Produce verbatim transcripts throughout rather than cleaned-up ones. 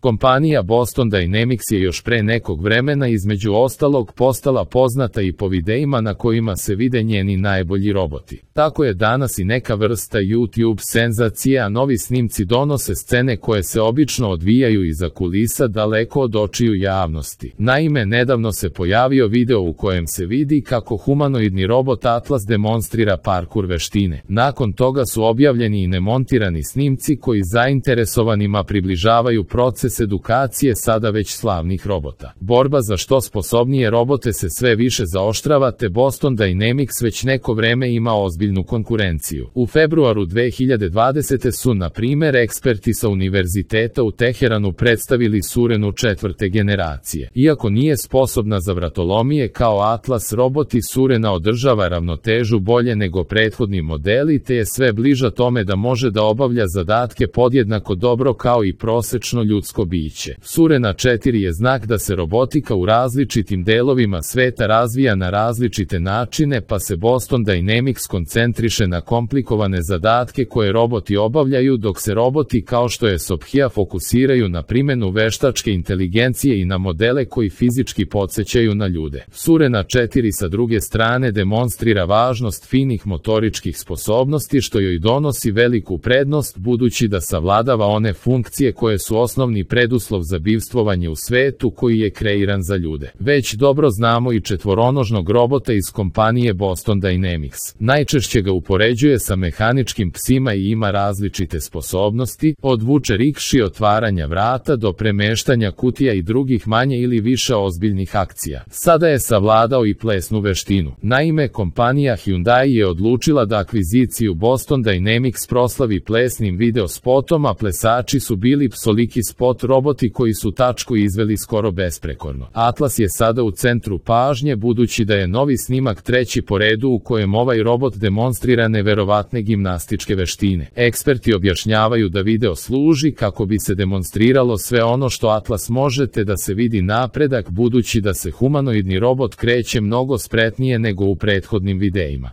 Kompanija Boston Dynamics je još pre nekog vremena između ostalog postala poznata i po videima na kojima se vide njeni najbolji roboti. Tako je danas i neka vrsta YouTube senzacije, a novi snimci donose scene koje se obično odvijaju iza kulisa daleko od očiju javnosti. Naime, nedavno se pojavio video u kojem se vidi kako humanoidni robot Atlas demonstrira parkur veštine. Nakon toga su objavljeni i nemontirani snimci koji zainteresovanima približavaju proces edukacije sada već slavnih robota. Borba za što sposobnije robote se sve više zaoštrava, te Boston Dynamics već neko vreme ima ozbiljnu konkurenciju. U februaru dve hiljade dvadesete su, na primer, eksperti sa Univerziteta u Teheranu predstavili Surenu četvrte generacije. Iako nije sposobna za vratolomije kao Atlas, roboti Surena održava ravnotežu bolje nego prethodni modeli, te je sve bliža tome da može da obavlja zadatke podjednako dobro kao i prosečno ljudsko biće. Surena četiri je znak da se robotika u različitim delovima sveta razvija na različite načine, pa se Boston Dynamics koncentriše na komplikovane zadatke koje roboti obavljaju, dok se roboti kao što je Sophia fokusiraju na primjenu veštačke inteligencije i na modele koji fizički podsjećaju na ljude. Surena četiri sa druge strane demonstrira važnost finih motoričkih sposobnosti, što joj donosi veliku prednost budući da savladava one funkcije koje su osnovni preduslov za bivstvovanje u svetu koji je kreiran za ljude. Već dobro znamo i četvoronožnog robota iz kompanije Boston Dynamics. Najčešće ga upoređuje sa mehaničkim psima i ima različite sposobnosti, od vuče rikši, otvaranja vrata do premeštanja kutija i drugih manje ili više ozbiljnih akcija. Sada je savladao i plesnu veštinu. Naime, kompanija Hyundai je odlučila da akviziciju Boston Dynamics proslavi plesnim video spotom, a plesači su bili psoliki spot roboti koji su tačku izveli skoro besprekorno. Atlas je sada u centru pažnje budući da je novi snimak treći po redu u kojem ovaj robot demonstrira neverovatne gimnastičke veštine. Eksperti objašnjavaju da video služi kako bi se demonstriralo sve ono što Atlas može, te da se vidi napredak budući da se humanoidni robot kreće mnogo spretnije nego u prethodnim videima.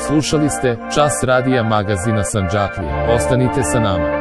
Slušali ste Čas radija magazina Sandžaklija. Ostanite sa nama.